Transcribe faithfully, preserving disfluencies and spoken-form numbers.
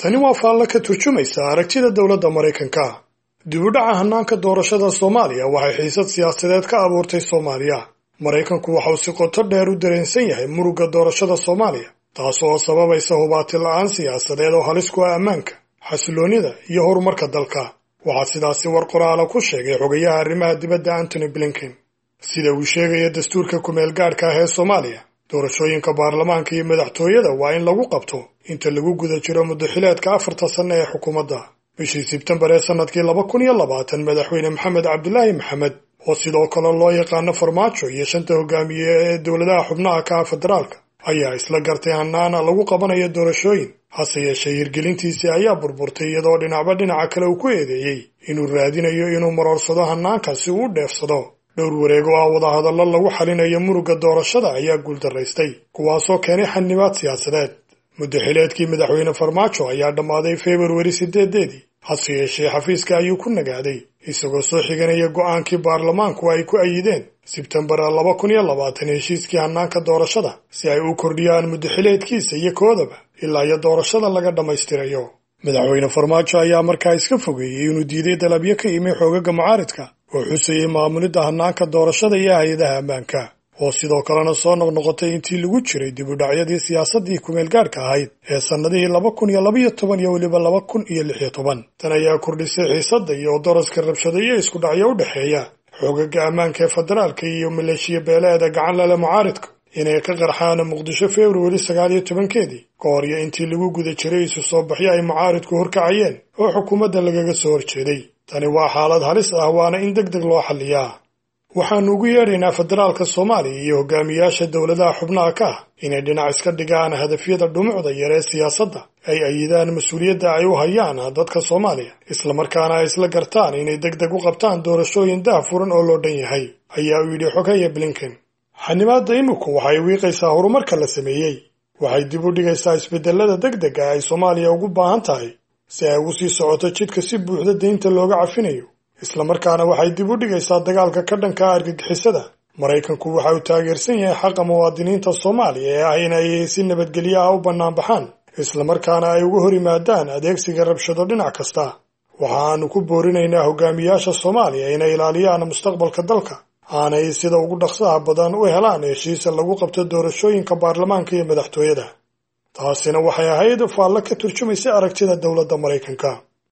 Tani waa faallo ka turjumaysa aragtida dowladda Maraykanka. Dib u dhaca hannaanka doorashada Soomaaliya waxay xiisad siyaasadeed ka abuurtay Soomaaliya. Maraykanku waxa uu si qoto dheer u dareensan yahay murugga doorashada Soomaaliya, taas oo sababaysa hubaati la'aan siyaasadeed oo halis ku ah ammaanka, xasiloonida iyo horumarka dalka. Waxaa sidaasi war qoraala ku sheegay xogayaha arrimaha dibadda Antony Blinken. Sida uu sheegaya dastuurka kumeel gaadhka ah ee Soomaaliya, doorashooyinka baarlamaanka iyo madaxtooyada waa in lagu qabto inta lagu guda jiro muddaxileedka afarta sanno ee xukuumadda. Bishii Sebtembar ee sanadkii laba kun iyo labaatan, Madaxweyne Maxamed Cabdilaahi Maxamed, oo sidoo kale loo yaqaano Farmaajo, iyo shanta hogaamiye ee dowladaha xubnaha ka ah federaalka ayaa isla gartay hanaana lagu qabanayo doorashooyin. Hase yeeshee, hirgelintiisii ayaa burburtay, iyadoo dhinacba dhinaca kale uu ku eedeeyey inuu raadinayo inuu maroorsado hanaanka si uu u dheefsado. Dhowr wareeg oo ah wadahadallo lagu xalinayo murugga doorashada ayaa guuldaraystay, kuwaasoo keenay xanibaad siyaasadeed. Muddaxileedkii Madaxweyne Farmaajo ayaa dhammaaday Februari sideedeedii. Hase yeeshee, xafiiska ayuu ku nagaaday, isagoo soo xiganaya go'aankii baarlamaanku ay ku ayideen Sebtembar laba kun iyo labaatan heshiiskii hannaanka doorashada, si ay u kordhiyaan muddaxileedkiisa iyo koodaba ilaa iyo doorashada laga dhammaystirayo. Madaxweyne Farmaajo ayaa markaa iska fogeeyey inuu diiday dalabyo ka yimi xoogaga mucaaridka oo xusayay maamulidda hannaanka doorashada iyo hay-adaha ammaanka, oo sidoo kalena soo noqnoqotay intii lagu jiray dib u dhacyadii siyaasaddii kumeel gaadhka ahayd ee sannadihii laba kun iyo labaiyo toban iyo weliba laba kun iyo lix iyo toban. Tan ayaa kordhisay xiisadda iyo daraska rabshado iyo isku dhacyo u dhexeeya xoogaga ammaanka ee federaalka iyo maleeshiya beeleeda gacan lale mucaaridka inay ka qarxaan Muqdisho Februari sagaal iyo tobankeedii, ka hor iyo intii lagu guda jiray isu soo baxyo ay mucaaridku horkacayeen oo xukuumadda lagaga soo horjeeday. Tani waa xaalad halis ah, waana in deg deg loo xalliyaa. Waxaannu ugu yeedhaynaa federaalka Soomaaliya iyo hogaamiyaasha dowladaha xubnaha ka ah inay dhinac iska dhigaan hadafyada dhumucda yar ee siyaasadda, ay ayidaan mas-uuliyadda ay u hayaan dadka Soomaaliya, islamarkaana ay isla gartaan inay deg deg u qabtaan doorashooyin daah furan oo loo dhan yahay, ayaa uu yidhi xoghaye Blinken. Xanibaadda iminku waxay wiiqaysaa horumarka la sameeyey, waxay dib u dhigaysaa isbedelada degdega ay Soomaaliya ugu baahan tahay si ay ugu sii socoto jidka si buuxda deynta looga cafinayo, islamarkaana waxay dib u dhigaysaa dagaalka ka dhanka ah argagixisada. Maraykanku waxa uu taageersan yahay xaqa muwaadiniinta Soomaaliya ee ah inay si nabadgelyo ah u banaanbaxaan, islamarkaana ay uga hor yimaadaan adeegsiga rabshado dhinac kasta. Waxa aanu ku boorinaynaa hogaamiyaasha Soomaaliya inay ilaaliyaan mustaqbalka dalka, aanay sida ugu dhaqsaha badan u helaan heshiisa lagu qabto doorashooyinka baarlamaanka iyo madaxtooyada. Taasina waxay ahayd faallo ka turjumaysa aragtida dowladda Maraykanka.